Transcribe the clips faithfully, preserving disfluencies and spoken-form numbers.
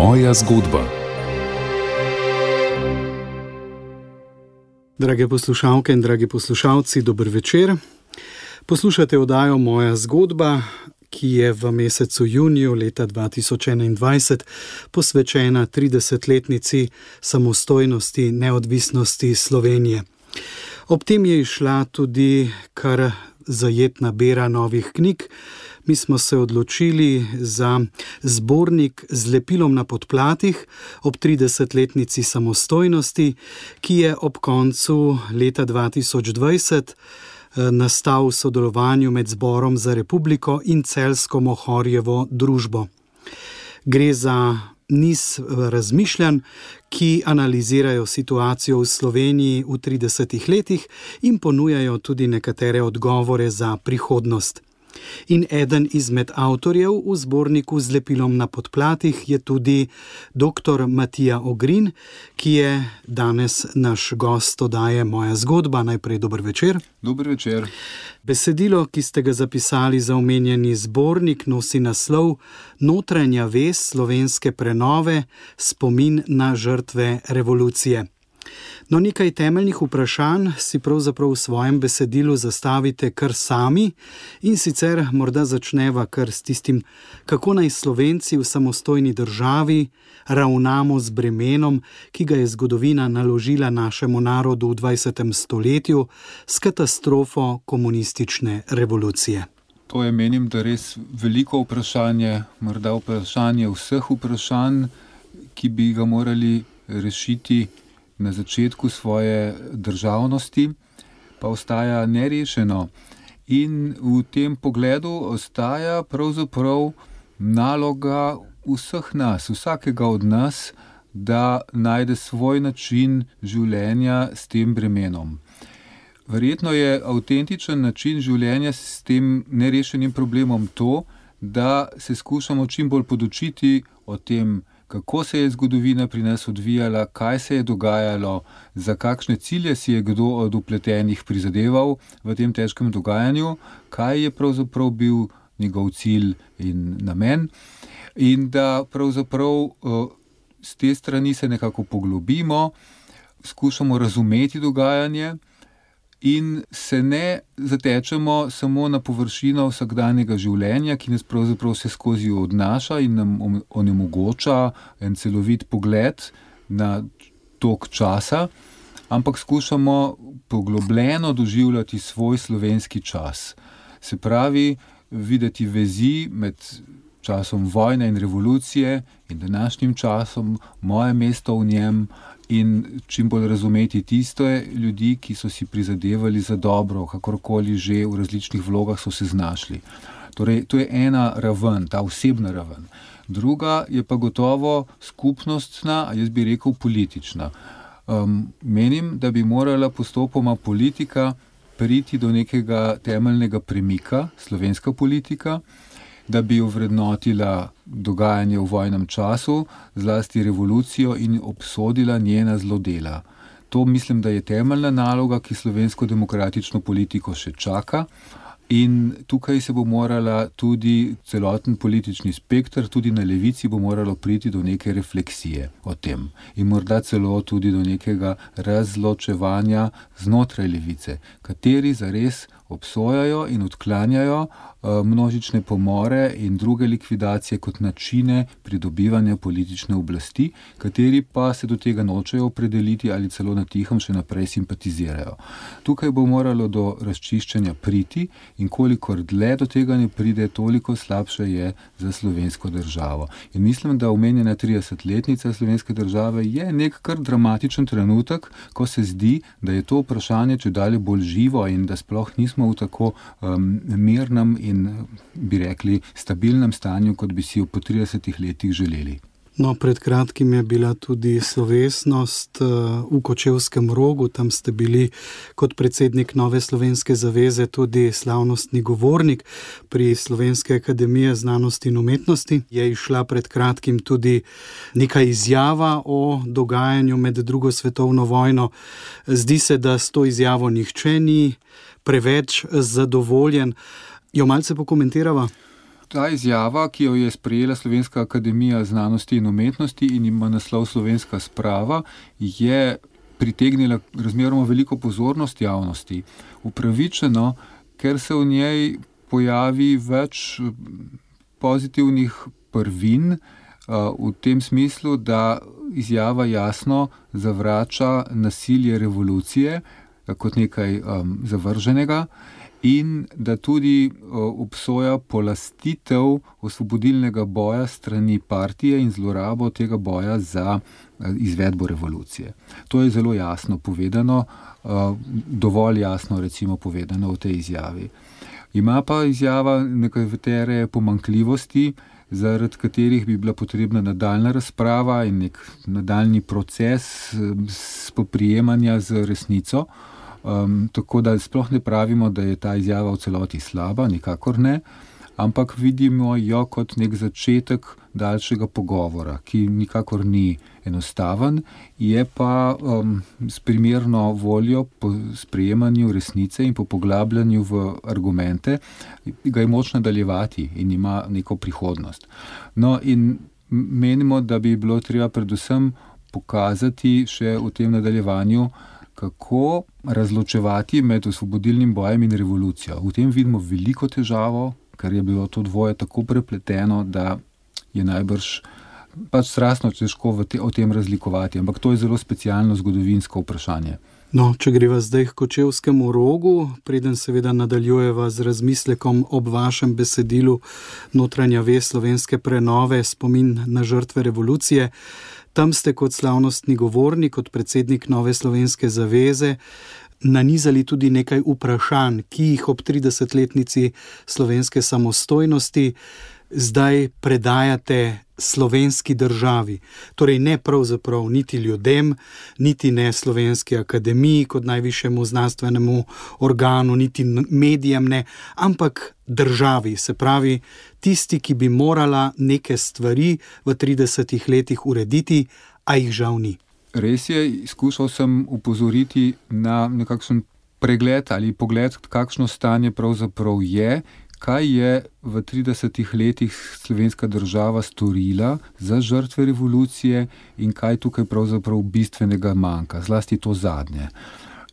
Moja zgodba. Drage poslušalke in dragi poslušalci, dober večer. Poslušate oddajo Moja zgodba, ki je v mesecu juniju leta dva tisoč enaindvajset posvečena tridesetletnici samostojnosti, neodvisnosti Slovenije. Ob tem je izšla tudi kar zajetna bera novih knjig. Mi smo se odločili za zbornik z lepilom na podplatih ob tridesetletnici samostojnosti, ki je ob koncu leta dva tisoč dvajset nastal v sodelovanju med Zborom za republiko in Celjsko Mohorjevo družbo. Gre za niz razmišljanj, ki analizirajo situacijo v Sloveniji v tridesetih letih in ponujajo tudi nekatere odgovore za prihodnost. In eden izmed avtorjev v zborniku z lepilom na podplatih je tudi doktor Matija Ogrin, ki je danes naš gost oddaje Moja zgodba. Najprej dober večer. Dober večer. Besedilo, ki ste ga zapisali za omenjeni zbornik, nosi naslov Notranja vez slovenske prenove, spomin na žrtve revolucije. No, nekaj temeljnih vprašanj si pravzaprav v svojem besedilu zastavite kar sami in sicer morda začneva kar s tistim, kako naj Slovenci v samostojni državi ravnamo z bremenom, ki ga je zgodovina naložila našemu narodu v dvajsetem stoletju s katastrofo komunistične revolucije. To je, menim, da res veliko vprašanje, morda vprašanje vseh vprašanj, ki bi ga morali rešiti na začetku svoje državnosti, pa ostaja nerešeno. In v tem pogledu ostaja pravzaprav naloga vseh nas, vsakega od nas, da najde svoj način življenja s tem bremenom. Verjetno je avtentičen način življenja s tem nerešenim problemom to, da se skušamo čim bolj podučiti o tem, kako se je zgodovina pri nas odvijala, kaj se je dogajalo, za kakšne cilje si je kdo od vpletenih prizadeval v tem težkem dogajanju, kaj je pravzaprav bil njegov cilj in namen, in da pravzaprav z te strani se nekako poglobimo, skušamo razumeti dogajanje in se ne zatečemo samo na površino vsakdanjega življenja, ki nas pravzaprav vse skozi odnaša in nam onemogoča en celovit pogled na tok časa, ampak skušamo poglobljeno doživljati svoj slovenski čas. Se pravi, videti vezi med časom vojne in revolucije in današnjim časom, moje mesto v njem, in čim bolj razumeti tiste ljudi, ki so si prizadevali za dobro, kakorkoli že v različnih vlogah so se znašli. Torej, to je ena raven, ta osebna raven. Druga je pa gotovo skupnostna, jaz bi rekel politična. Um, menim, da bi morala postopoma politika priti do nekega temeljnega premika, slovenska politika, da bi ovrednotila dogajanje v vojnem času, zlasti revolucijo, in obsodila njena zlodela. To mislim, da je temeljna naloga, ki slovensko demokratično politiko še čaka, in tukaj se bo morala tudi celoten politični spekter, tudi na levici bo moralo priti do neke refleksije o tem in morda celo tudi do nekega razločevanja znotraj levice, kateri zares obsojajo in odklanjajo množične pomore in druge likvidacije kot načine pridobivanja politične oblasti, kateri pa se do tega nočejo opredeliti ali celo na tihem še naprej simpatizirajo. Tukaj bo moralo do razčiščenja priti in kolikor dlje do tega ne pride, toliko slabše je za slovensko državo. In mislim, da omenjena tridesetletnica slovenske države je nek kar dramatičen trenutek, ko se zdi, da je to vprašanje čedalje bolj živo in da sploh nismo v tako um, mirnem in, bi rekli, stabilnem stanju, kot bi si jo po tridesetih letih želeli. No, pred kratkim je bila tudi slovesnost v Kočevskem Rogu, tam ste bili kot predsednik Nove slovenske zaveze tudi slavnostni govornik pri Slovenske akademije znanosti in umetnosti. Je išla pred kratkim tudi neka izjava o dogajanju med drugo svetovno vojno. Zdi se, da s to izjavo nihče ni preveč zadovoljen. Jo malce pokomentirava? ta izjava, ki jo je sprejela Slovenska akademija znanosti in umetnosti in ima naslov Slovenska sprava, je pritegnila razmeroma veliko pozornost javnosti. Upravičeno, ker se v njej pojavi več pozitivnih prvin, v tem smislu, da izjava jasno zavrača nasilje revolucije kot nekaj um, zavrženega in da tudi uh, obsoja polastitev osvobodilnega boja strani partije in zlorabo tega boja za uh, izvedbo revolucije. To je zelo jasno povedano, uh, dovolj jasno recimo povedano v tej izjavi. Ima pa izjava nekatere pomanjkljivosti, zaradi katerih bi bila potrebna nadaljna razprava in nek nadaljni proces spoprijemanja z resnico. Um, tako da sploh ne pravimo, da je ta izjava v celoti slaba, nikakor ne, ampak vidimo jo kot nek začetek daljšega pogovora, ki nikakor ni enostaven, je pa um, s primerno voljo po sprejemanju resnice in po poglabljanju v argumente, ga je moč nadaljevati in ima neko prihodnost. No in menimo, da bi bilo treba predvsem pokazati še v tem nadaljevanju, kako razločevati med osvobodilnim bojem in revolucijo. V tem vidimo veliko težavo, ker je bilo to dvoje tako prepleteno, da je najbrž pač strastno težko v te, o tem razlikovati, ampak to je zelo specialno zgodovinsko vprašanje. No, če greva zdaj k Kočevskemu rogu, preden seveda nadaljujeva z razmislekom ob vašem besedilu Notranja vest slovenske prenove, spomin na žrtve revolucije, tam ste kot slavnostni govornik, kot predsednik Nove slovenske zaveze, nanizali tudi nekaj vprašanj, ki jih ob tridesetletnici slovenske samostojnosti zdaj predajate slovenski državi. Torej ne pravzaprav niti ljudem, niti ne Slovenski akademiji kot najvišjemu znanstvenemu organu, niti medijem ne, ampak državi, se pravi tisti, ki bi morala neke stvari v tridesetih letih urediti, a jih žal ni. Res je, skušal sem upozoriti na nekakšen pregled ali pogled, kakšno stanje pravzaprav je, kaj je v tridesetih letih slovenska država storila za žrtve revolucije in kaj tukaj pravzaprav bistvenega manjka, zlasti to zadnje.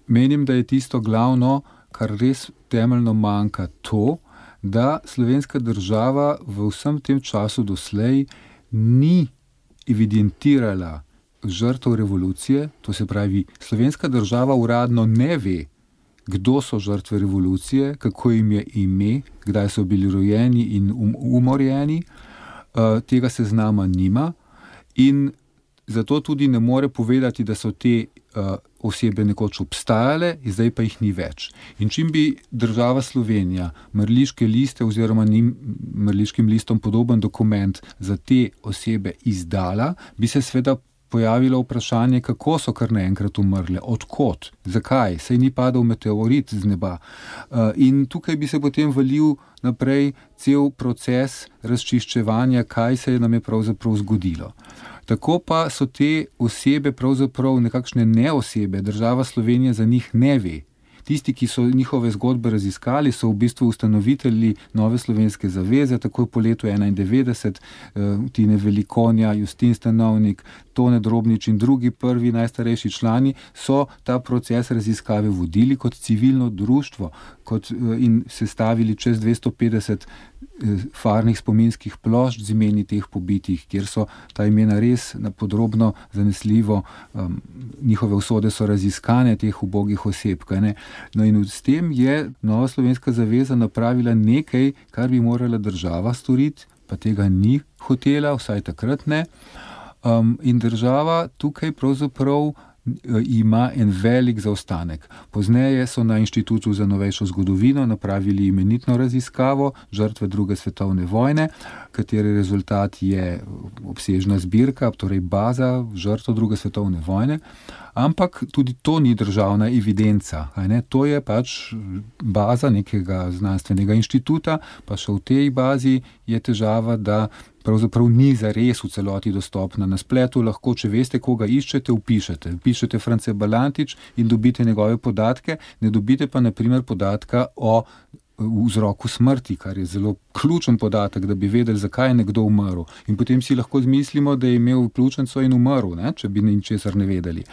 Menim, da je tisto glavno, kar res temeljno manjka, to, da slovenska država v vsem tem času doslej ni evidentirala žrtev revolucije, to se pravi, slovenska država uradno ne ve, kdo so žrtve revolucije, kako jim je ime, kdaj so bili rojeni in um, umorjeni, uh, tega seznama nima in zato tudi ne more povedati, da so te uh, osebe nekoč obstajale, zdaj pa jih ni več. In čim bi država Slovenija mrliške liste oziroma njim mrliškim listom podoben dokument za te osebe izdala, bi se sveda pojavilo vprašanje, kako so kar naenkrat umrle, odkot, zakaj, saj ni padel meteorit z neba. In tukaj bi se potem valil naprej cel proces razčiščevanja, kaj se nam je pravzaprav zgodilo. Tako pa so te osebe pravzaprav nekakšne neosebe, država Slovenija za njih ne ve. Tisti, ki so njihove zgodbe raziskali, so v bistvu ustanovitelji Nove slovenske zaveze, takoj po letu enaindevetdeset, Tine Velikonja, Justin Stanovnik, Tone Drobnič in drugi prvi najstarejši člani so ta proces raziskave vodili kot civilno društvo kot, in sestavili čez dvesto petdeset farnih spominskih plošč z imeni teh pobitih, kjer so ta imena res podrobno, zanesljivo, um, njihove usode so raziskane teh ubogih oseb. Ne? No in s tem je Nova slovenska zaveza napravila nekaj, kar bi morala država storiti, pa tega ni hotela, vsaj takrat ne. Um, in država tukaj pravzaprav ima en velik zaostanek. Pozneje so na Inštitutu za novejšo zgodovino napravili imenitno raziskavo žrtve druge svetovne vojne, katere rezultat je obsežna zbirka, torej baza žrtev druge svetovne vojne, ampak tudi to ni državna evidenca. Ne? To je pač baza nekega znanstvenega inštituta, pa še v tej bazi je težava, da pravzaprav ni zares v celoti dostopna na spletu, lahko, če veste, koga iščete, vpišete. Pišete France Balantič in dobite njegove podatke, ne dobite pa na primer podatka o vzroku smrti, kar je zelo ključen podatek, da bi vedeli, zakaj je nekdo umrl. In potem si lahko zmislimo, da je imel pljučnico in umrl, ne? Če bi ničesar ne vedeli.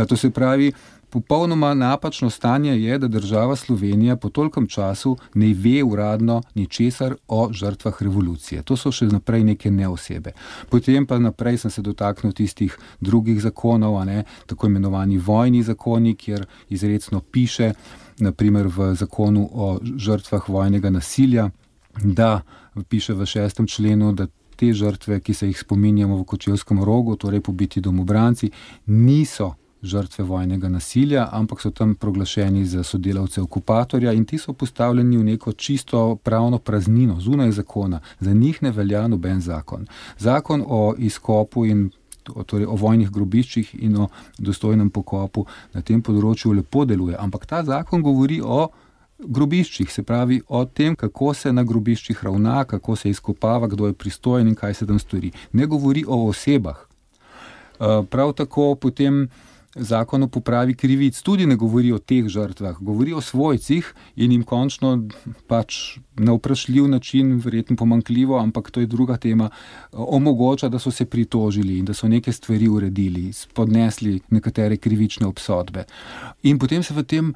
To se pravi, popolnoma napačno stanje je, da država Slovenija po tolkem času ne ve uradno ničesar o žrtvah revolucije. To so še naprej neke neosebe. Potem pa naprej sem se dotaknil tistih drugih zakonov, a ne, tako imenovani vojni zakoni, kjer izrecno piše, naprimer v zakonu o žrtvah vojnega nasilja, da piše v šestem členu, da te žrtve, ki se jih spominjamo v Kočevskem Rogu, torej pobiti domobranci, niso žrtve vojnega nasilja, ampak so tam proglašeni za sodelavce okupatorja in ti so postavljeni v neko čisto pravno praznino, zunaj zakona. Za njih ne velja noben zakon. Zakon o izkopu in torej o vojnih grobiščih in o dostojnem pokopu na tem področju lepo deluje, ampak ta zakon govori o grobiščih, se pravi o tem, kako se na grobiščih ravna, kako se izkopava, kdo je pristojen in kaj se tam stori. Ne govori o osebah. Prav tako potem zakon o popravi krivic tudi ne govori o teh žrtvah, govori o svojcih in jim končno pač na vprašljiv način, verjetno pomanjkljivo, ampak to je druga tema, omogoča, da so se pritožili in da so neke stvari uredili, spodnesli nekatere krivične obsodbe. In potem se v tem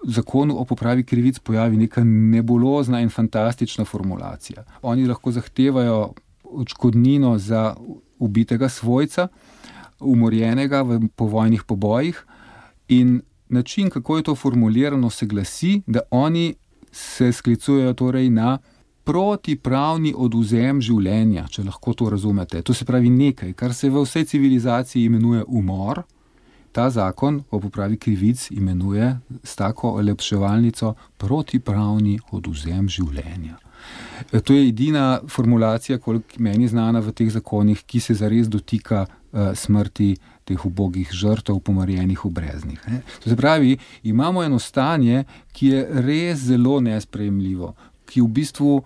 zakonu o popravi krivic pojavi neka nebulozna in fantastična formulacija. Oni lahko zahtevajo odškodnino za ubitega svojca, umorjenega v povojnih pobojih in način, kako je to formulirano, se glasi, da oni se sklicujejo torej na protipravni odvzem življenja, če lahko to razumete. To se pravi nekaj, kar se v vsej civilizaciji imenuje umor, ta zakon o popravi krivic imenuje s tako olepševalnico protipravni odvzem življenja. To je edina formulacija, koliko meni znana v teh zakonih, ki se zares dotika uh, smrti teh ubogih žrtev, pomorjenih v breznih. Ne? To se pravi, imamo eno stanje, ki je res zelo nesprejemljivo, ki v bistvu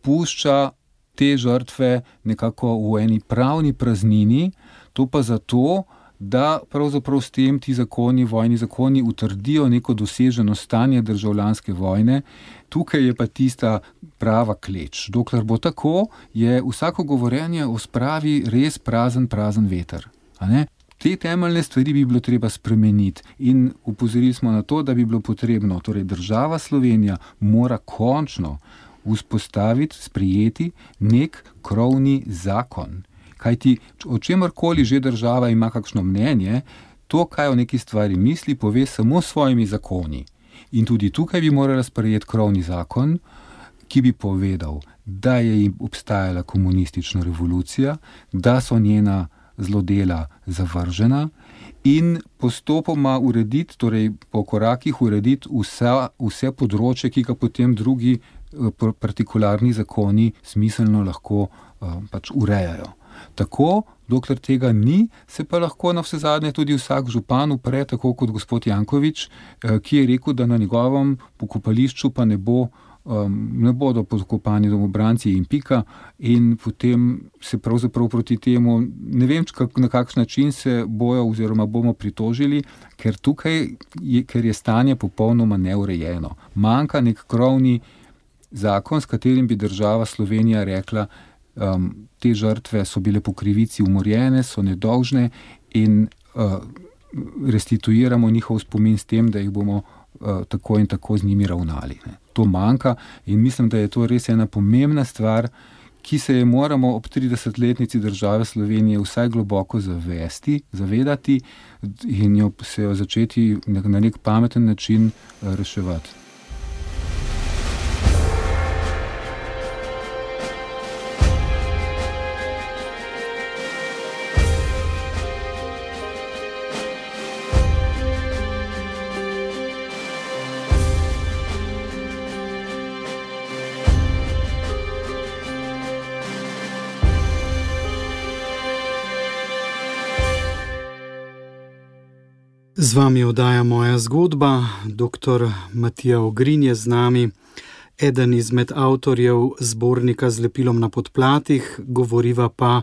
pušča te žrtve nekako v eni pravni praznini, to pa zato, da pravzaprav s tem ti zakoni, vojni zakoni utrdijo neko doseženo stanje državljanske vojne. Tukaj je pa tista prava kleč. Dokler bo tako, je vsako govorjenje o spravi res prazen, prazen veter. A ne? Te temeljne stvari bi bilo treba spremeniti in upozorili smo na to, da bi bilo potrebno, torej država Slovenija mora končno vzpostaviti, sprejeti nek krovni zakon. Kajti, o čemarkoli že država ima kakšno mnenje, to, kaj o neki stvari misli, pove samo s svojimi zakoni. In tudi tukaj bi morala sprejeti krovni zakon, ki bi povedal, da je obstajala komunistična revolucija, da so njena zlodela zavržena in postopoma urediti, torej po korakih urediti vsa, vse področje, ki ga potem drugi partikularni zakoni smiselno lahko uh, pač urejajo. Tako, dokler tega ni, se pa lahko na vse zadnje tudi vsak župan upre, tako kot gospod Janković, ki je rekel, da na njegovem pokopališču pa ne, bo, ne bodo podkopani domobranci in pika in potem se pravzaprav proti temu, ne vem, na kakšen način se bojo oziroma bomo pritožili, ker tukaj je, ker je stanje popolnoma neurejeno. Manjka nek krovni zakon, s katerim bi država Slovenija rekla, Um, te žrtve so bile po krivici umorjene, so nedolžne in uh, restituiramo njihov spomin s tem, da jih bomo uh, tako in tako z njimi ravnali. Ne. To manjka in mislim, da je to res ena pomembna stvar, ki se je moramo ob tridesetletnici države Slovenije vsaj globoko zavesti, zavedati in jo se jo začeti na nek pameten način uh, reševati. Z vami oddaja Moja zgodba, doktor Matija Ogrin je z nami, eden izmed avtorjev zbornika Z lepilom na podplatih, govoriva pa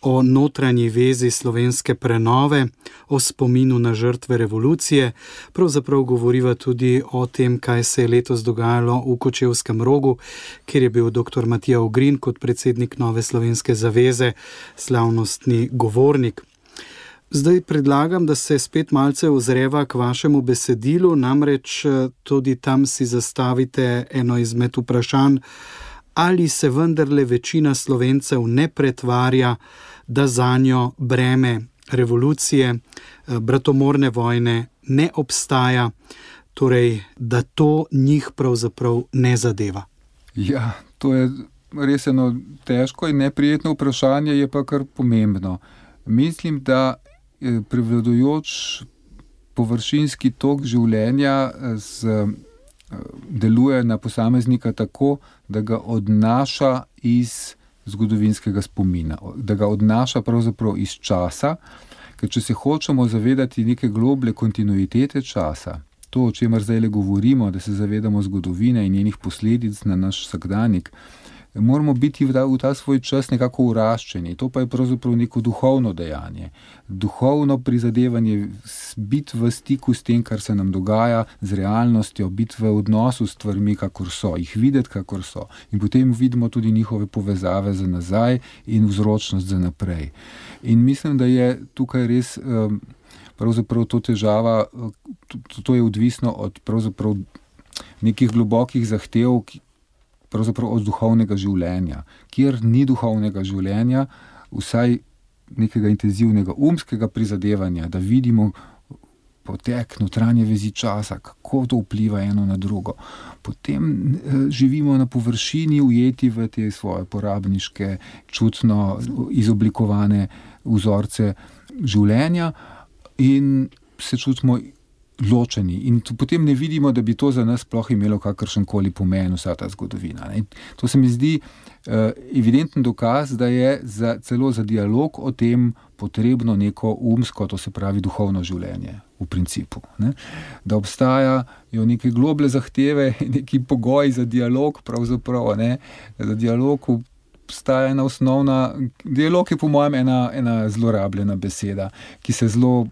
o notranji vezi slovenske prenove, o spominu na žrtve revolucije. Pravzaprav govoriva tudi o tem, kaj se je letos dogajalo v Kočevskem Rogu, kjer je bil doktor Matija Ogrin kot predsednik Nove slovenske zaveze slavnostni govornik. Zdaj predlagam, da se spet malce ozreva k vašemu besedilu, namreč tudi tam si zastavite eno izmed vprašanj, ali se vendarle večina Slovencev ne pretvarja, da zanjo breme revolucije, bratomorne vojne ne obstaja, torej da to njih pravzaprav ne zadeva. Ja, to je res eno težko in neprijetno vprašanje, je pa kar pomembno. Mislim, da prevladujoč površinski tok življenja z, deluje na posameznika tako, da ga odnaša iz zgodovinskega spomina, da ga odnaša pravzaprav iz časa, ker če se hočemo zavedati neke globlje kontinuitete časa, to, o čemer zdaj govorimo, da se zavedamo zgodovine in njenih posledic na naš vsakdanjik, moramo biti v ta, v ta svoj čas nekako uraščeni. To pa je pravzaprav neko duhovno dejanje. Duhovno prizadevanje, biti v stiku s tem, kar se nam dogaja, z realnostjo, biti v odnosu s stvarmi, kakor so, jih videti, kakor so. In potem vidimo tudi njihove povezave za nazaj in vzročnost za naprej. In mislim, da je tukaj res pravzaprav to težava, to, to je odvisno od pravzaprav nekih globokih zahtev, pravzaprav od duhovnega življenja. Kjer ni duhovnega življenja, vsaj nekega intenzivnega umskega prizadevanja, da vidimo potek notranje vezi časa, kako to vpliva eno na drugo. Potem eh, živimo na površini, ujeti v te svoje porabniške, čutno izoblikovane vzorce življenja in se čutimo ločeni. In potem ne vidimo, da bi to za nas sploh imelo kakršenkoli pomen, vsa ta zgodovina. Ne? To se mi zdi uh, evidenten dokaz, da je za, celo za dialog o tem potrebno neko umsko, to se pravi duhovno življenje v principu. Ne? Da obstajajo neke globlje zahteve, neki pogoji za dialog, pravzaprav, ne? Za dialog obstaja ena osnovna, dialog je po mojem ena, ena zlorabljena beseda, ki se zelo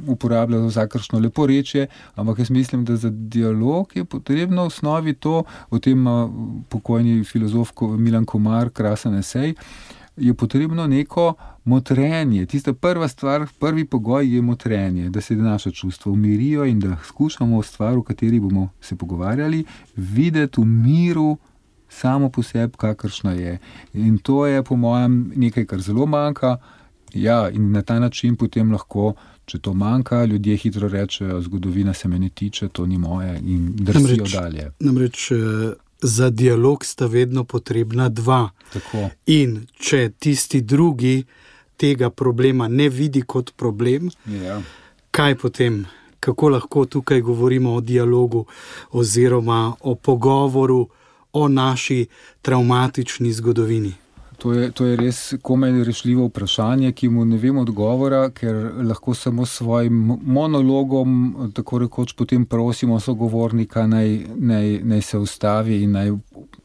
uporablja za vsakršno leporečje, ampak jaz mislim, da za dialog je potrebno v osnovi to, o tem pokojni filozof Milan Komar, krasen esej, je potrebno neko motrenje. Tista prva stvar, prvi pogoj je motrenje, da se naša čustva umirijo in da skušamo stvar, o kateri bomo se pogovarjali, videti v miru samo po sebi, kakršna je. In to je po mojem nekaj, kar zelo manjka. Ja, in na ta način potem lahko, če to manjka, ljudje hitro rečejo, zgodovina se me ne tiče, to ni moje in drsijo dalje. Namreč za dialog sta vedno potrebna dva. Tako. In če tisti drugi tega problema ne vidi kot problem, ja. Kaj potem? Kako lahko tukaj govorimo o dialogu oziroma o pogovoru o naši travmatični zgodovini? To je, to je res komaj rešljivo vprašanje, ki mu ne vem odgovora, ker lahko samo s svojim monologom, tako rekoč, potem prosimo sogovornika, naj, naj, naj se ustavi in naj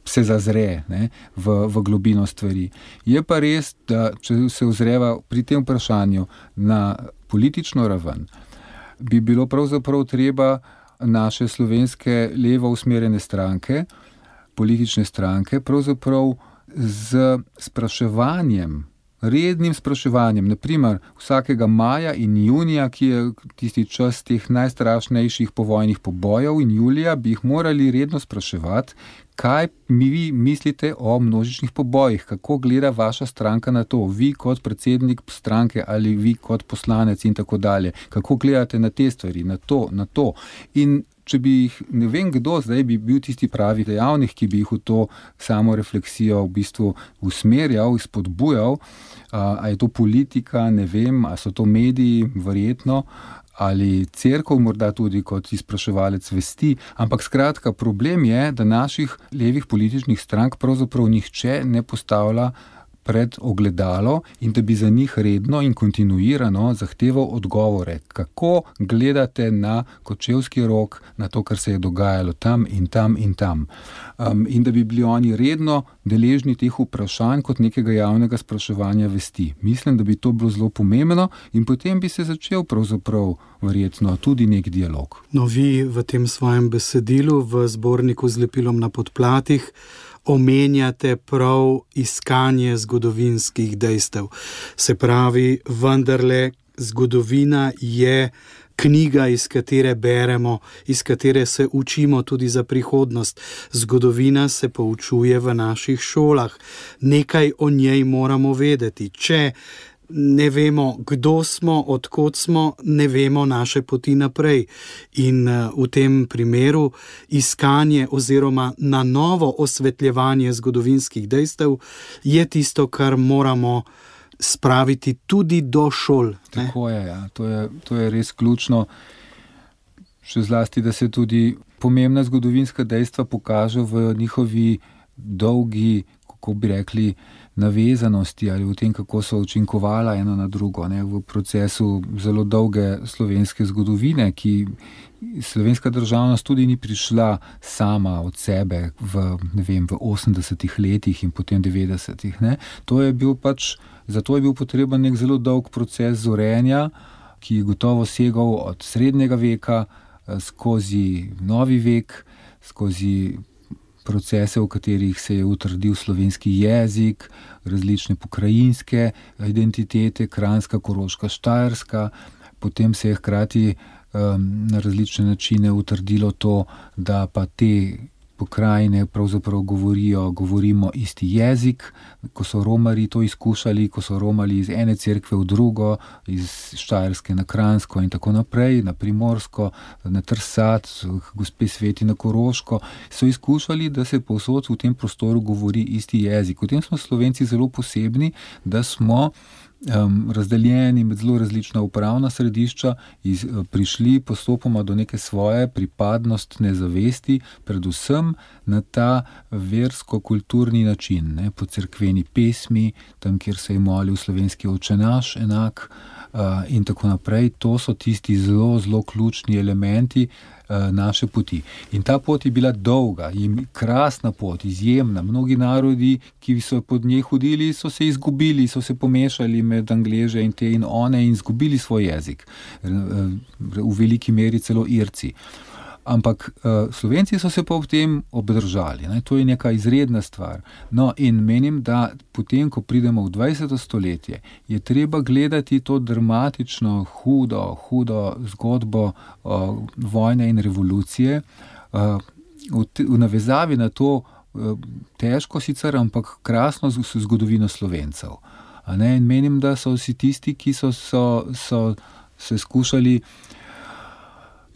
se zazre, ne, v, v globino stvari. Je pa res, da če se ozreva pri tem vprašanju na politično raven, bi bilo pravzaprav treba naše slovenske levo usmerjene stranke, politične stranke, pravzaprav z spraševanjem, rednim spraševanjem, naprimer vsakega maja in junija, ki je tisti čas teh najstrašnejših povojnih pobojev, in julija bi jih morali redno spraševati, kaj mi vi mislite o množičnih pobojih, kako gleda vaša stranka na to, vi kot predsednik stranke ali vi kot poslanec in tako dalje, kako gledate na te stvari, na to, na to. In če bi jih, ne vem kdo, zdaj bi bil tisti pravi dejavnik, ki bi jih v to samo refleksijo v bistvu usmerjal, spodbujal, a, a je to politika, ne vem, a so to mediji, verjetno, ali cerkev morda tudi kot izpraševalec vesti, ampak skratka, problem je, da naših levih političnih strank pravzaprav nihče ne postavlja pred ogledalo in da bi za njih redno in kontinuirano zahteval odgovore, kako gledate na Kočevski Rog, na to, kar se je dogajalo tam in tam in tam. Um, in da bi bili oni redno deležni teh vprašanj kot nekega javnega spraševanja vesti. Mislim, da bi to bilo zelo pomembno in potem bi se začel pravzaprav verjetno tudi nek dialog. No, vi v tem svojem besedilu v zborniku z lepilom na podplatih omenjate prav iskanje zgodovinskih dejstev. Se pravi, vendarle zgodovina je knjiga, iz katere beremo, iz katere se učimo tudi za prihodnost. Zgodovina se poučuje v naših šolah. Nekaj o njej moramo vedeti. Če ne vemo, kdo smo, odkot smo, ne vemo naše poti naprej. In v tem primeru iskanje oziroma na novo osvetljevanje zgodovinskih dejstev je tisto, kar moramo spraviti tudi do šol. Ne? Tako je, ja. To je, to je res ključno. Še zlasti, da se tudi pomembna zgodovinska dejstva pokažejo v njihovi dolgi, kako bi rekli, navezanosti ali v tem, kako so učinkovala eno na drugo, ne, v procesu zelo dolge slovenske zgodovine, ki slovenska državnost tudi ni prišla sama od sebe v, ne vem, v osemdesetih letih in potem devetdesetih. Ne. To je bil pač, zato je bil potreben nek zelo dolg proces zorenja, ki je gotovo segal od srednjega veka skozi novi vek, skozi procese, v katerih se je utrdil slovenski jezik, različne pokrajinske identitete, Kranjska, Koroška, Štajerska. Potem se je hkrati um, na različne načine utrdilo to, da pa te pokrajine pravzaprav govorijo, govorimo isti jezik. Ko so Romarji to izkušali, ko so romali iz ene cerkve v drugo, iz Štajerske na Kranjsko in tako naprej, na Primorsko, na Trsat, gospe Sveti na Koroško, so izkušali, da se povsod v tem prostoru govori isti jezik. V tem smo Slovenci zelo posebni, da smo Um, razdeljeni med zelo različna upravna središča iz, prišli postopoma do neke svoje pripadnostne zavesti, predvsem na ta versko-kulturni način, ne, po cerkveni pesmi, tam, kjer se je molil slovenski očenaš enak uh, in tako naprej. To so tisti zelo, zelo ključni elementi uh, naše poti. In ta pot je bila dolga in krasna pot, izjemna. Mnogi narodi, ki so pod njej hodili, so se izgubili, so se pomešali med Angleže in te in one in izgubili svoj jezik. V veliki meri celo Irci. Ampak uh, Slovenci so se pa v tem obdržali. Ne? To je neka izredna stvar. No, in menim, da potem, ko pridemo v dvajseto stoletje, je treba gledati to dramatično, hudo, hudo zgodbo uh, vojne in revolucije uh, v, te, v navezavi na to uh, težko sicer, ampak krasno zgodovino Slovencev. A ne? In menim, da so vsi tisti, ki so, so, so se skušali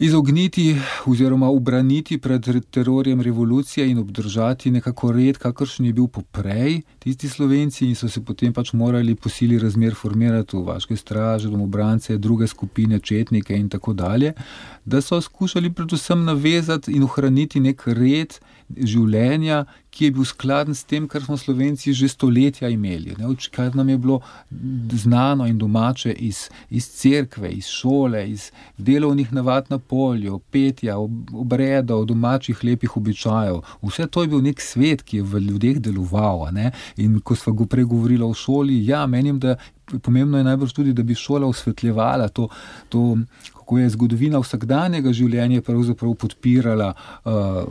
izogniti oziroma ubraniti pred terorjem revolucije in obdržati nekako red, kakršen je bil poprej, tisti Slovenci, in so se potem pač morali po sili razmer formirati v vaške straže, domobrance, druge skupine, četnike in tako dalje, da so skušali predvsem navezati in ohraniti nek red življenja, ki je bil skladen s tem, kar smo Slovenci že stoletja imeli, ne, kar nam je bilo znano in domače iz, iz cerkve, iz šole, iz delovnih navad na polju, petja, obredov, domačih lepih običajev. Vse to je bil nek svet, ki je v ljudeh deloval. Ne? In ko sva go prej govorila o šoli, ja, menim, da pomembno je najbrž tudi, da bi šola osvetljevala to, to kako je zgodovina vsakdanjega življenja pravzaprav podpirala uh,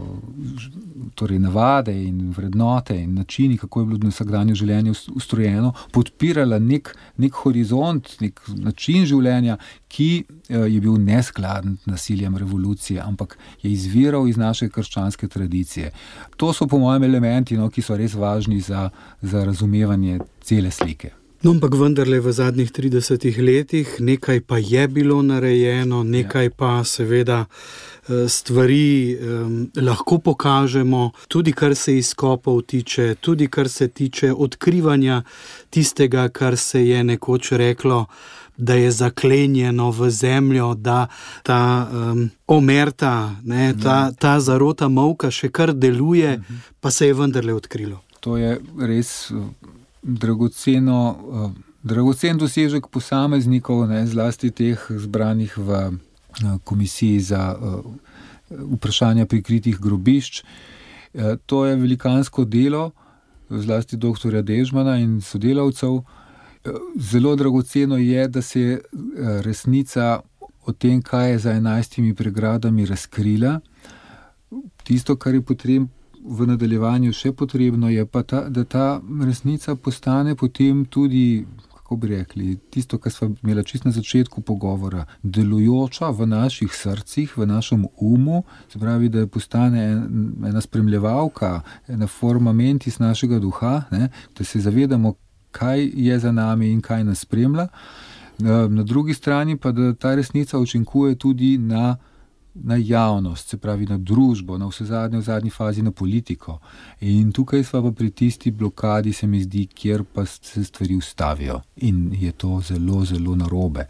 torej navade in vrednote in načini, kako je bilo vsakdanje življenje ustrojeno, podpirala nek, nek horizont, nek način življenja, ki uh, je bil neskladen z nasiljem revolucije, ampak je izviral iz naše krščanske tradicije. To so po mojem elementi, no, ki so res važni za, za razumevanje cele slike. No, ampak vendarle v zadnjih tridesetih letih nekaj pa je bilo narejeno, nekaj pa seveda stvari um, lahko pokažemo, tudi kar se izkopov tiče, tudi kar se tiče odkrivanja tistega, kar se je nekoč reklo, da je zaklenjeno v zemljo, da ta um, omerta, ne, ta, ta zarota molka še kar deluje, pa se je vendarle odkrilo. To je res dragoceno, dragocen dosežek posameznikov, ne, zlasti teh zbranih v komisiji za vprašanja prikritih grobišč. To je velikansko delo, zlasti doktorja Dežmana in sodelavcev. Zelo dragoceno je, da se je resnica o tem, kaj je za enajstimi pregradami, razkrila. Tisto, kar je potrebno v nadaljevanju še potrebno, je pa ta, da ta resnica postane potem tudi, kako bi rekli, tisto, kar sva imela čisto na začetku pogovora, delujoča v naših srcih, v našem umu, se pravi, da postane ena spremljevalka, ena forma mentis našega duha, ne, da se zavedamo, kaj je za nami in kaj nas spremlja. Na drugi strani pa, da ta resnica učinkuje tudi na, na javnost, se pravi na družbo, na vse zadnje, v zadnji fazi na politiko. In tukaj sva pa pri tisti blokadi, se mi zdi, kjer pa se stvari ustavijo. In je to zelo, zelo narobe.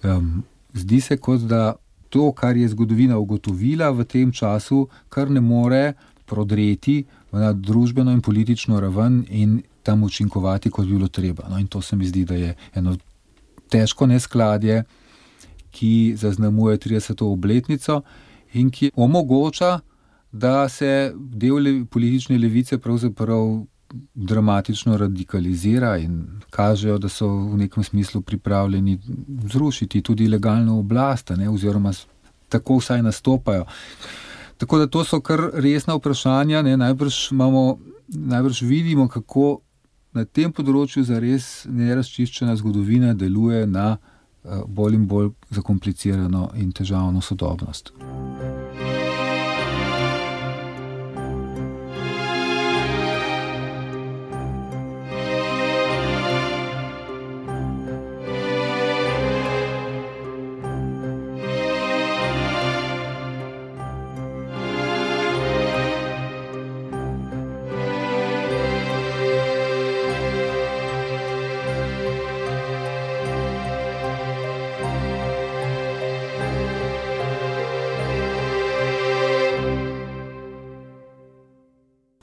Um, zdi se, kot da to, kar je zgodovina ugotovila v tem času, kar ne more prodreti na družbeno in politično raven in tam učinkovati, kot bi bilo treba. No, in to se mi zdi, da je eno težko neskladje, ki zaznamuje trideseto obletnico in ki omogoča, da se del le, politične levice pravzaprav dramatično radikalizira in kažejo, da so v nekem smislu pripravljeni zrušiti tudi legalno oblast, ne, oziroma tako vsaj nastopajo. Tako da to so kar resna vprašanja, ne, najbrž imamo, najbrž vidimo, kako na tem področju zares nerazčiščena zgodovina deluje na uh, bolj in bolj zakomplicirano in težavno sodobnost.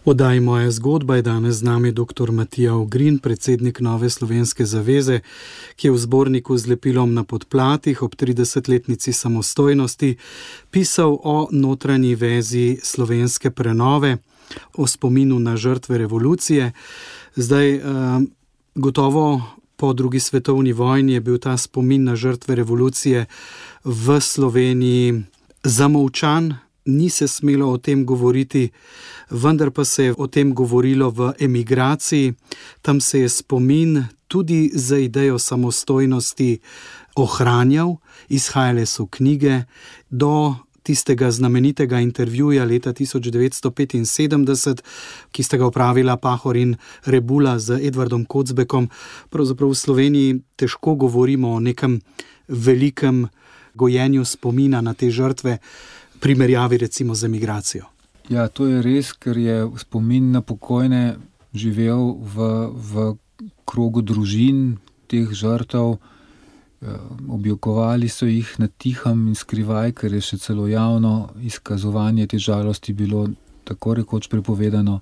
Oddaji Moja zgodba je danes z nami doktor Matija Ogrin, predsednik Nove slovenske zaveze, ki je v zborniku z lepilom na podplatih ob tridesetletnici samostojnosti pisal o notranji vezi slovenske prenove, o spominu na žrtve revolucije. Zdaj, gotovo po drugi svetovni vojni je bil ta spomin na žrtve revolucije v Sloveniji zamolčan, ni se smelo o tem govoriti, vendar pa se je o tem govorilo v emigraciji. Tam se je spomin tudi za idejo samostojnosti ohranjal, izhajale so knjige, do tistega znamenitega intervjuja leta tisoč devetsto petinsedemdeset, ki sta ga opravila Pahor in Rebula z Edvardom Kocbekom. Pravzaprav v Sloveniji težko govorimo o nekem velikem gojenju spomina na te žrtve, primerjavi recimo z emigracijo. Ja, to je res, ker je spomin na pokojne živel v, v krogu družin teh žrtev. Objokovali so jih na tihem in skrivaj, ker je še celo javno izkazovanje te žalosti bilo tako rekoč prepovedano.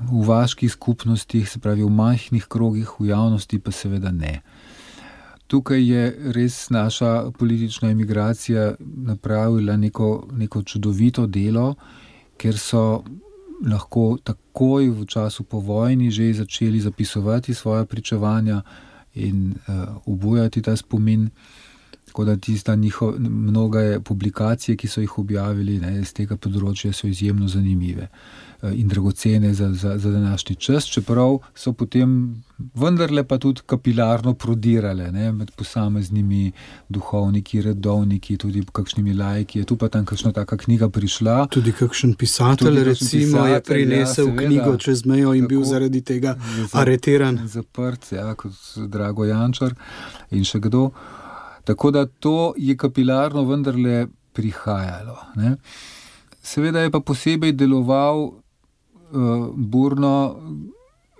V vaških skupnostih, se pravi v majhnih krogih, v javnosti pa seveda ne. Tukaj je res naša politična emigracija napravila neko, neko čudovito delo, ker so lahko takoj v času po vojni že začeli zapisovati svoja pričevanja in uh, obujati ta spomin. Tako da tista njihov, mnoge publikacije, ki so jih objavili, ne, z tega področja so izjemno zanimive in dragocene za, za, za današnji čas, čeprav so potem vendarle pa tudi kapilarno prodirale, ne, med posameznimi duhovniki, redovniki, tudi kakšnimi laiki. Je tu pa tam kakšna taka knjiga prišla. Tudi kakšen pisatelj, tudi recimo, pisatelj, je prinesel ja, knjigo čez mejo in tako, bil zaradi tega areteran. Zaprt, ja, kot Drago Jančar in še kdo. Tako da to je kapilarno vendarle prihajalo, ne. Seveda je pa posebej deloval uh, burno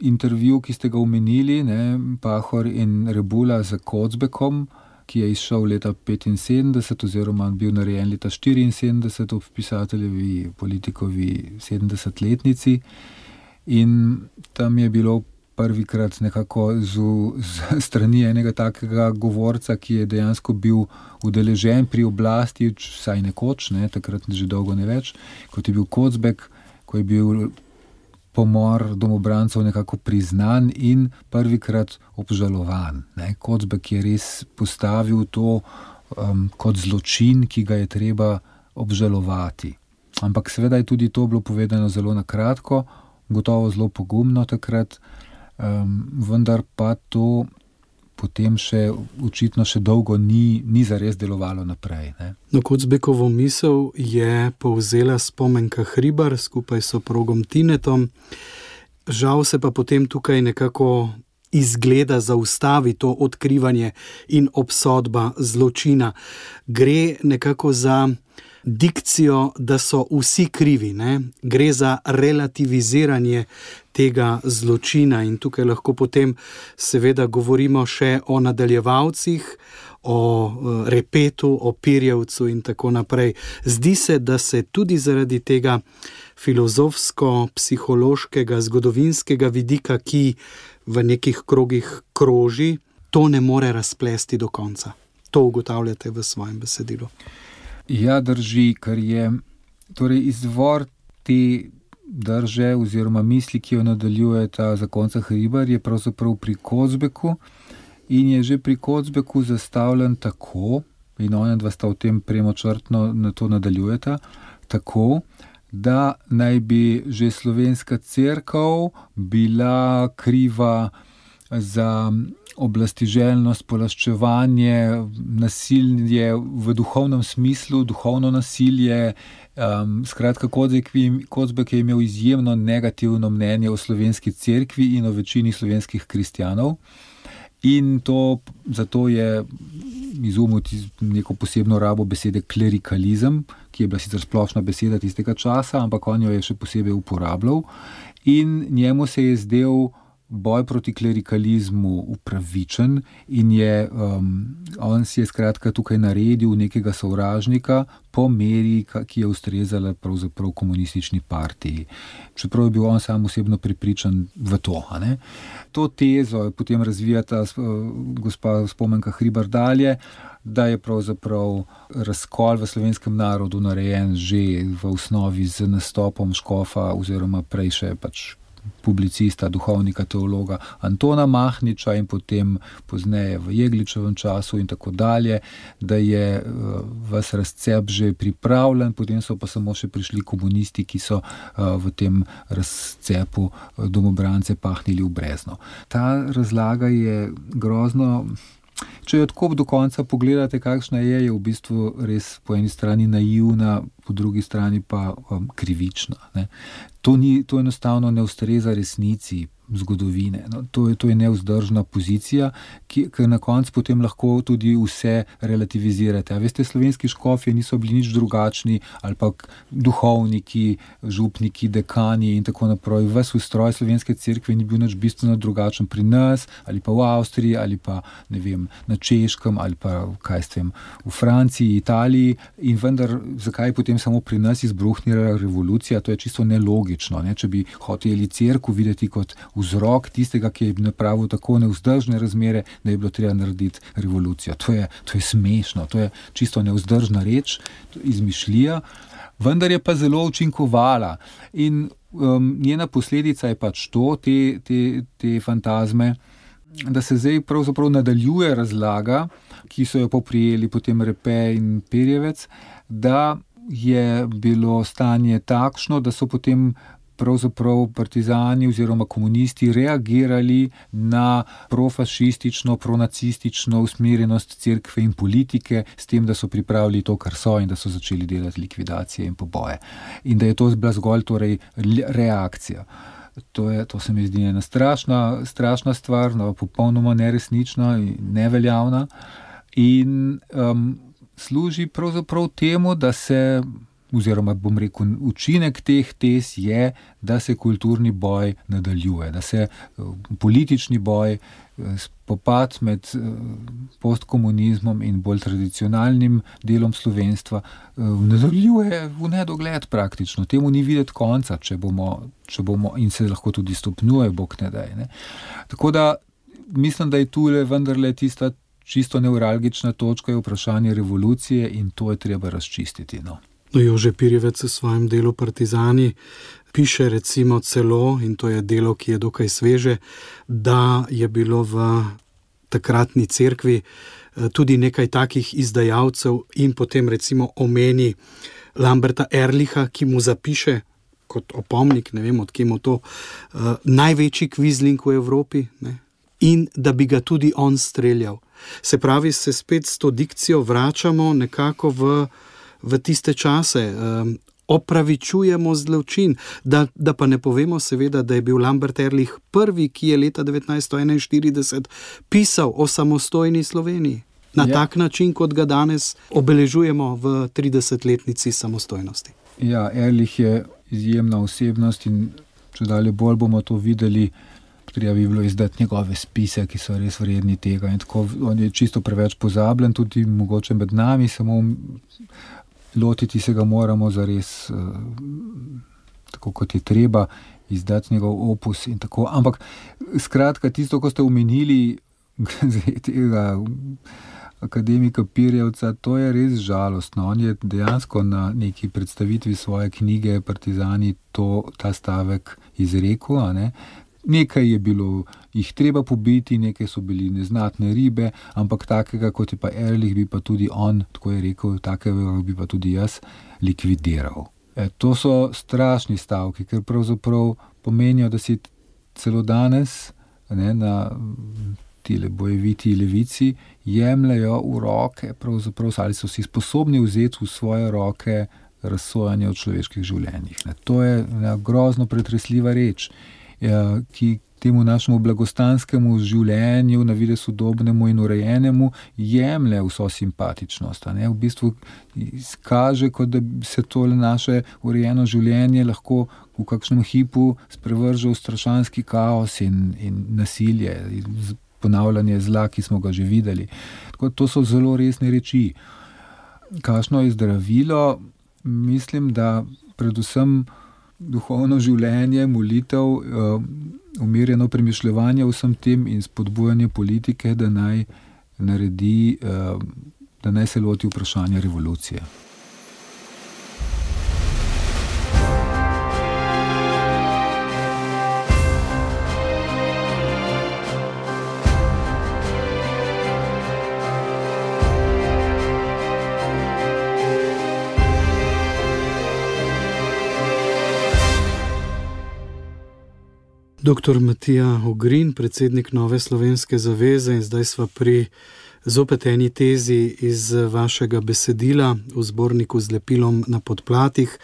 intervju, ki ste ga omenili, ne, Pahor in Rebula z Kocbekom, ki je izšel leta petinsedemdeset oziroma bil narejen leta štiriinsedemdeset ob pisateljevi, politikovi sedemdesetletnici. In tam je bilo prvikrat nekako z, z strani enega takega govorca, ki je dejansko bil udeležen pri oblasti, vsaj nekoč, ne, takrat že dolgo ne več, kot je bil Kocbek, ko je bil pomor domobrancev nekako priznan in prvikrat obžalovan. Ne. Kocbek je res postavil to um, kot zločin, ki ga je treba obžalovati. Ampak seveda je tudi to bilo povedano zelo na kratko, gotovo zelo pogumno takrat, um, vendar pa to potem še očitno še dolgo ni, ni zares delovalo naprej. Ne. No, Kocbekovo misel je povzela Spomenka Hribar skupaj s soprogom Tinetom. Žal se pa potem tukaj nekako izgleda zaustavi to odkrivanje in obsodba zločina. Gre nekako za dikcijo, da so vsi krivi, ne? Gre za relativiziranje tega zločina in tukaj lahko potem seveda govorimo še o nadaljevalcih, o Repetu, o Pirjevcu in tako naprej. Zdi se, da se tudi zaradi tega filozofsko-psihološkega, zgodovinskega vidika, ki v nekih krogih kroži, to ne more razplesti do konca. To ugotavljate v svojem besedilu. Ja, drži, ker je torej izvor te drže oziroma misli, ki jo nadaljuje ta zakonca Hribar, je pravzaprav pri Kocbeku in je že pri Kocbeku zastavljen tako, in ona dva sta v tem premočrtno na to nadaljujeta, tako, da naj bi že slovenska cerkev bila kriva za oblastiželjnost, polaščevanje, nasilje v duhovnem smislu, duhovno nasilje. Um, skratka, Kocbek je imel izjemno negativno mnenje o slovenski cerkvi in o večini slovenskih kristjanov. In to, zato je izumil neko posebno rabo besede klerikalizem, ki je bila sicer splošna beseda tistega časa, ampak on jo je še posebej uporabljal. In njemu se je zdel boj proti klerikalizmu upravičen in je, um, on si je skratka tukaj naredil nekega sovražnika po meri, ki je ustrezala pravzaprav komunistični partiji. Čeprav je bil on sam osebno prepričan v to. A ne? To tezo potem razvijata uh, gospa Spomenka Hribar dalje, da je pravzaprav razkol v slovenskem narodu narejen že v osnovi z nastopom škofa oziroma prej še pač publicista, duhovnika, teologa Antona Mahniča in potem pozneje v Jegličevem času in tako dalje, da je ves razcep že pripravljen, potem so pa samo še prišli komunisti, ki so v tem razcepu domobrance pahnili v brezno. Ta razlaga je grozno. Če jo tako do konca pogledate, kakšna je, je v bistvu res po eni strani naivna, po drugi strani pa um, krivična. Ne. To, ni, to enostavno ne ustreza resnici zgodovine. No, to, je, to je nevzdržna pozicija, ki, ki na koncu potem lahko tudi vse relativizirate. A veste, slovenski škofje niso bili nič drugačni, ali pa duhovniki, župniki, dekani in tako naprej. Ves ustroj slovenske cerkve ni bil nič bistveno drugačen pri nas, ali pa v Avstriji, ali pa ne vem, na Češkem, ali pa kaj s tem, v Franciji, Italiji. In vendar, zakaj je potem samo pri nas izbruhnila revolucija? To je čisto nelogično. Ne? Če bi hoteli cerkev videti kot vzrok tistega, ki je napravil tako nevzdržne razmere, da je bilo treba narediti revolucijo. To je, to je smešno, to je čisto nevzdržna reč, izmišljija, vendar je pa zelo učinkovala. In um, njena posledica je pač to, te, te, te fantazme, da se zdaj pravzaprav nadaljuje razlaga, ki so jo poprijeli potem Repe in Pirjevec, da je bilo stanje takšno, da so potem pravzaprav partizani oziroma komunisti reagirali na profašistično, pronacistično usmerjenost cerkve in politike s tem, da so pripravili to, kar so in da so začeli delati likvidacije in poboje. In da je to bila zgolj torej reakcija. To, je, to se mi zdi ena strašna, strašna stvar, no, popolnoma neresnična in neveljavna in um, služi pravzaprav temu, da se oziroma bom rekel, učinek teh tez je, da se kulturni boj nadaljuje, da se politični boj spopad med postkomunizmom in bolj tradicionalnim delom slovenstva nadaljuje v nedogled praktično. Temu ni videti konca, če bomo, če bomo in se lahko tudi stopnjuje, bog ne daj. Ne. Tako da mislim, da je tule vendarle tista čisto neuralgična točka je vprašanje revolucije in to je treba razčistiti. No. No, Jože Pirjevec v svojem delu Partizani piše recimo celo, in to je delo, ki je dokaj sveže, da je bilo v takratni cerkvi tudi nekaj takih izdajalcev in potem recimo omeni Lamberta Ehrlicha, ki mu zapiše kot opomnik, ne vem, od kje mu to, uh, največji kvizling v Evropi, ne? In da bi ga tudi on streljal. Se pravi, se spet s to dikcijo vračamo nekako v, v tiste čase, um, opravičujemo zločin, da, da pa ne povemo seveda, da je bil Lambert Ehrlich prvi, ki je leta devetnajststo enainštirideset pisal o samostojni Sloveniji. Na ja. tak način, kot ga danes obeležujemo v tridesetletnici samostojnosti. Ja, Ehrlich je izjemna osebnost in če dalje bolj bomo to videli, treba bi bilo izdati njegove spise, ki so res vredni tega. In tako, on je čisto preveč pozabljen, tudi mogoče med nami, samo lotiti se ga moramo zares tako, kot je treba, izdati njegov opus in tako. Ampak skratka, tisto, ko ste omenili tega akademika Pirjevca, to je res žalostno. On je dejansko na neki predstavitvi svoje knjige Partizani to, ta stavek izrekel, a ne. Nekaj je bilo jih treba pobiti, nekaj so bili neznatne ribe, ampak takega, kot je pa Ehrlich, bi pa tudi on, tako je rekel, takega bi pa tudi jaz likvidiral. E, to so strašni stavki, ker pravzaprav pomenijo, da si celo danes, ne, na tile bojeviti levici jemljajo v roke, pravzaprav ali so si sposobni vzeti v svoje roke razsojanje o človeških življenjih. Ne. To je ne, grozno pretresljiva reč, ki temu našemu blagostanskemu življenju, na videz sodobnemu in urejenemu, jemlje vso simpatičnost. Ne? V bistvu kaže, kot da se tole naše urejeno življenje lahko v kakšnem hipu sprevrže v strašanski kaos in, in nasilje, ponavljanje zla, ki smo ga že videli. Tako, to so zelo resne reči. Kakšno je zdravilo? Mislim, da predvsem duhovno življenje, molitev, umirjeno premišljevanje vsem tem in spodbujanje politike, da naj naredi, da naj se loti vprašanja revolucije. Doktor Matija Ogrin, predsednik Nove slovenske zaveze, in zdaj sva pri zopet eni tezi iz vašega besedila v zborniku z lepilom na podplatih,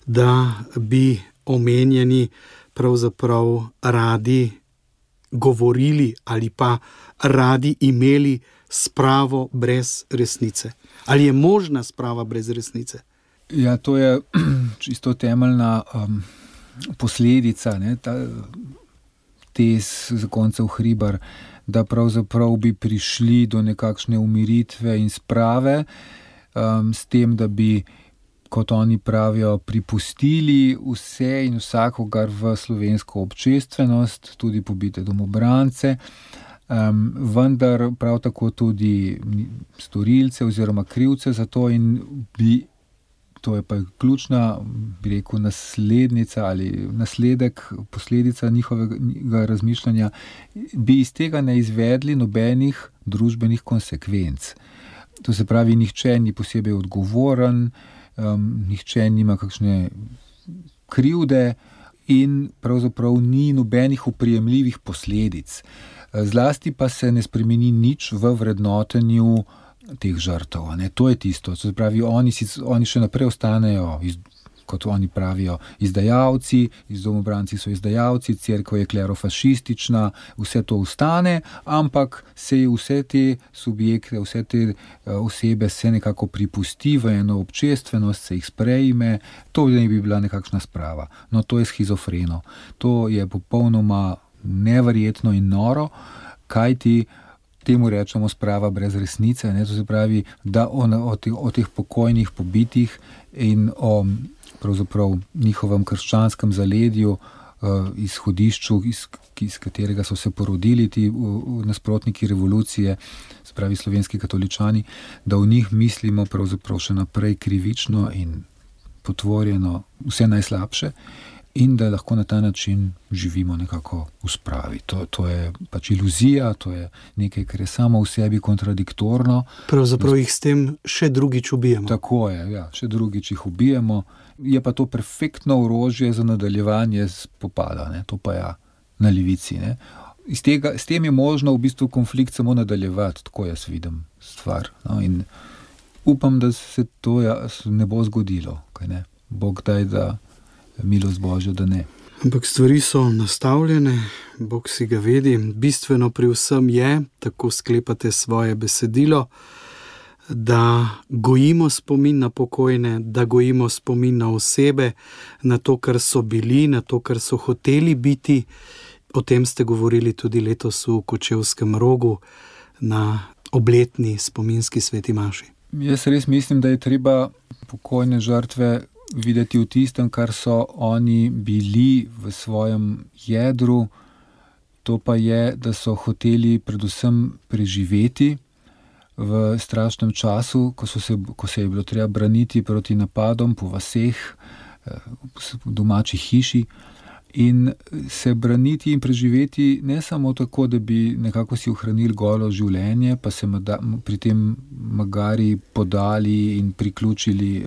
da bi omenjeni pravzaprav radi govorili ali pa radi imeli spravo brez resnice. Ali je možna sprava brez resnice? Ja, to je čisto temeljna um... posledica, ne, ta tez zakoncev Hribar, da pravzaprav bi prišli do nekakšne umiritve in sprave, um, s tem, da bi, kot oni pravijo, pripustili vse in vsakogar v slovensko občestvenost, tudi pobite domobrance, um, vendar prav tako tudi storilce oziroma krivce za to in bi to je pa ključna, bi rekel, naslednica ali nasledek, posledica njihovega razmišljanja, bi iz tega ne izvedli nobenih družbenih konsekvenc. To se pravi, nihče ni posebej odgovoren, um, nihče nima kakšne krivde in pravzaprav ni nobenih oprijemljivih posledic. Zlasti pa se ne spremeni nič v vrednotenju teh žrtev. Ne? To je tisto. Se pravi, oni, si, oni še naprej ostanejo, iz, kot oni pravijo, izdajalci, iz domobranci so izdajalci, cerkev je klerofašistična, vse to ostane, ampak se vse te subjekte, vse te uh, osebe se nekako pripusti v eno občestvenost, se jih sprejme, to ne bi bila nekakšna sprava. No, to je schizofreno. To je popolnoma neverjetno in noro. kaj ti temu rečemo sprava brez resnice, ne? To se pravi, da o, o, teh, o teh pokojnih pobitih in o pravzaprav njihovem krščanskem zaledju, uh, izhodišču, iz, iz katerega so se porodili ti uh, nasprotniki revolucije, se pravi slovenski katoličani, da v njih mislimo pravzaprav še naprej krivično in potvorjeno vse najslabše in da lahko na ta način živimo nekako v spravi. To, to je pač iluzija, to je nekaj, kar je samo v sebi kontradiktorno. Pravzaprav jih s tem še drugič ubijemo. Tako je, ja, še drugič jih ubijemo. Je pa to perfektno orožje za nadaljevanje spopada, ne? To pa ja, na levici. Ne? Iz tega, s tem je možno v bistvu konflikt samo nadaljevati, tako jaz vidim stvar. No? In upam, da se to ja, ne bo zgodilo. Kaj ne? Bog daj, da milost Božja, da ne. Ampak stvari so nastavljene, Bog si ga vedi. Bistveno pri vsem je, tako sklepate svoje besedilo, da gojimo spomin na pokojne, da gojimo spomin na osebe, na to, kar so bili, na to, kar so hoteli biti. O tem ste govorili tudi letos v Kočevskem Rogu na obletni spominski sveti maši. Jaz res mislim, da je treba pokojne žrtve videti v tistem, kar so oni bili v svojem jedru. To pa je, da so hoteli predvsem preživeti v strašnem času, ko, so se, ko se je bilo treba braniti proti napadom po vaseh, v domači hiši in se braniti in preživeti ne samo tako, da bi nekako si ohranili golo življenje, pa se pri tem magari podali in priključili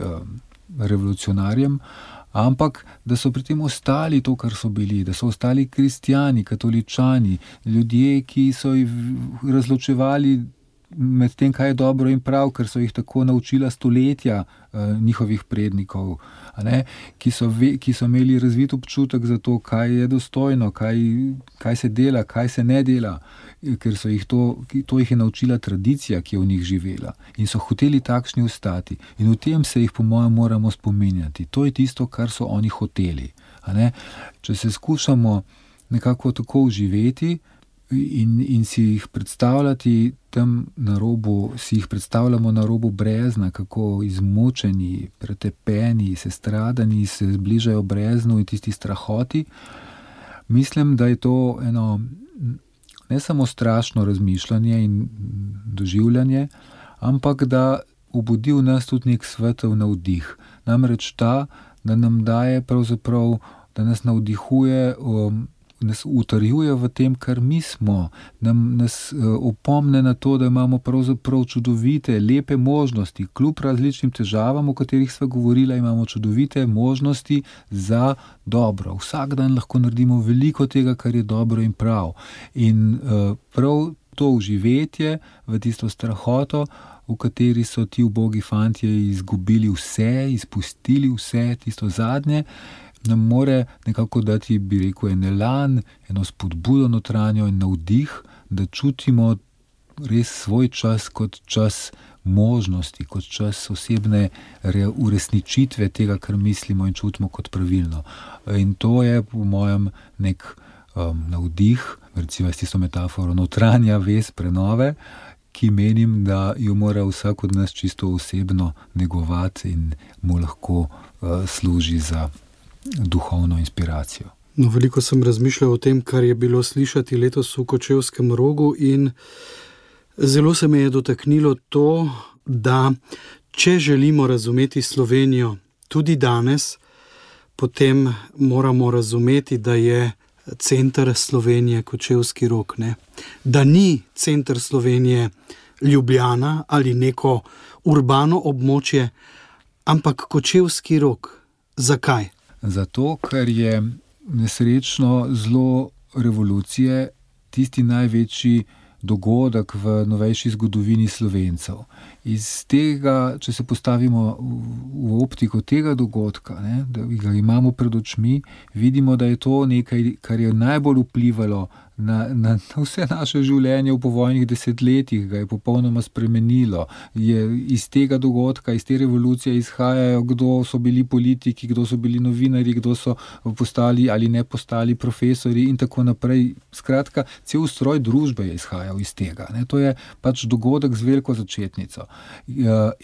revolucionarjem, ampak da so pri tem ostali to, kar so bili, da so ostali kristjani, katoličani, ljudje, ki so jih razločevali med tem, kaj je dobro in prav, ker so jih tako naučila stoletja uh, njihovih prednikov, a ne? Ki so, ve, ki so imeli razvit občutek za to, kaj je dostojno, kaj, kaj se dela, kaj se ne dela, ker so jih to, to jih je naučila tradicija, ki je v njih živela in so hoteli takšni ostati. In v tem se jih po mojem moramo spominjati. To je tisto, kar so oni hoteli. A ne? Če se skušamo nekako tako uživeti in, in si jih predstavljati tam na robu, si jih predstavljamo na robu brezna, kako izmučeni, pretepeni, sestradani se zbližajo breznu in tisti strahoti. Mislim, da je to eno ne samo strašno razmišljanje in doživljanje, ampak da obudi v nas tudi nek svetel navdih. Namreč ta, da nam daje pravzaprav, da nas navdihuje, um, nas utrjuje v tem, kar mi smo, nam nas uh, opomne na to, da imamo pravzaprav čudovite, lepe možnosti, kljub različnim težavam, o katerih sva govorila, imamo čudovite možnosti za dobro. Vsak dan lahko naredimo veliko tega, kar je dobro in prav. In uh, prav to uživetje v tisto strahoto, v kateri so ti ubogi fantje izgubili vse, izpustili vse, tisto zadnje, nam more nekako dati, bi rekel, en elan, eno spodbudo notranjo in navdih, da čutimo res svoj čas kot čas možnosti, kot čas osebne uresničitve tega, kar mislimo in čutimo kot pravilno. In to je po mojem nek um, navdih, recimo s tisto metaforo, notranja vez prenove, ki menim, da jo mora vsak od nas čisto osebno negovati in mu lahko uh, služi za duhovno inspiracijo. No, veliko sem razmišljal o tem, kar je bilo slišati letos v Kočevskem Rogu in zelo se me je dotaknilo to, da če želimo razumeti Slovenijo tudi danes, potem moramo razumeti, da je center Slovenije Kočevski Rog, ne? Da ni center Slovenije Ljubljana ali neko urbano območje, ampak Kočevski Rog. Zakaj? Zato, ker je nesrečno zlo revolucije tisti največji dogodek v novejši zgodovini Slovencev. Iz tega, če se postavimo v optiko tega dogodka, ne, da ga imamo pred očmi, vidimo, da je to nekaj, kar je najbolj vplivalo na, na, na vse naše življenje v povojnih desetletjih, ga je popolnoma spremenilo. Je iz tega dogodka, iz te revolucije izhajajo, kdo so bili politiki, kdo so bili novinari, kdo so postali ali ne postali profesori in tako naprej. Skratka, cel ustroj družbe je izhajal iz tega. Ne. To je pač dogodek z veliko začetnico.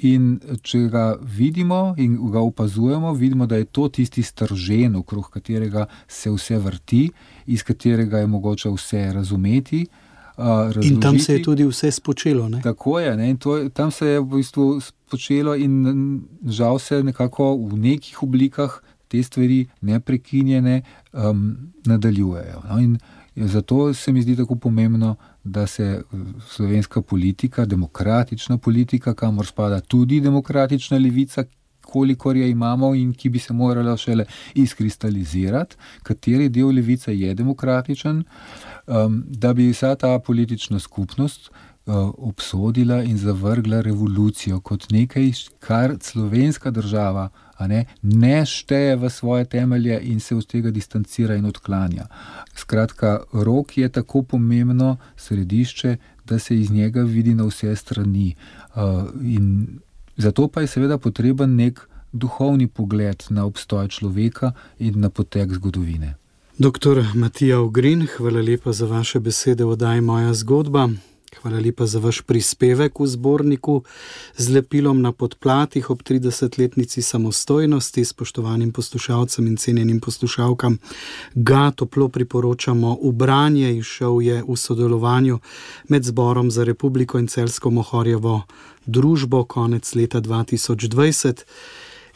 In če ga vidimo in ga opazujemo, vidimo, da je to tisti stržen, okrog katerega se vse vrti, iz katerega je mogoče vse razumeti. Razložiti. In tam se je tudi vse spočelo. Ne? Tako je. Ne? In to, tam se je v bistvu spočelo in žal se nekako v nekih oblikah te stvari neprekinjene um, nadaljujejo. No? In zato se mi zdi tako pomembno, da se slovenska politika, demokratična politika, kamor spada tudi demokratična levica, kolikor je imamo in ki bi se morala šele izkristalizirati, kateri del levice je demokratičen, um, da bi vsa ta politična skupnost uh, obsodila in zavrgla revolucijo kot nekaj, kar slovenska država a ne, ne šteje v svoje temelje in se od tega distancira in odklanja. Skratka, rok je tako pomembno središče, da se iz njega vidi na vse strani. Uh, in zato pa je seveda potreben nek duhovni pogled na obstoj človeka in na potek zgodovine. Doktor Matija Ogrin, hvala lepa za vaše besede v oddaji Moja zgodba. Hvala lepa za vaš prispevek v zborniku z lepilom na podplatih ob tridesetletnici samostojnosti. Spoštovanim poslušalcem in cenjenim poslušalkam ga toplo priporočamo v branje. Izšel je v sodelovanju med Zborom za republiko in Celjsko Mohorjevo družbo konec leta dva tisoč dvajset.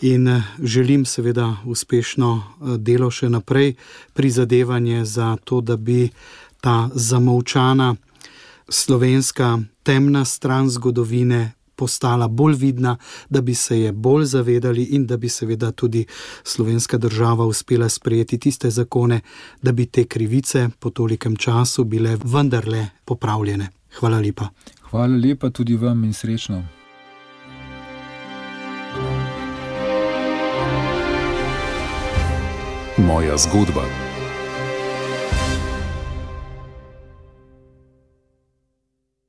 In želim seveda uspešno delo še naprej, prizadevanje za to, da bi ta zamolčana slovenska temna stran zgodovine postala bolj vidna, da bi se je bolj zavedali in da bi seveda tudi slovenska država uspela sprejeti tiste zakone, da bi te krivice po tolikem času bile vendarle popravljene. Hvala lepa. Hvala lepa tudi vam in srečno. Moja zgodba.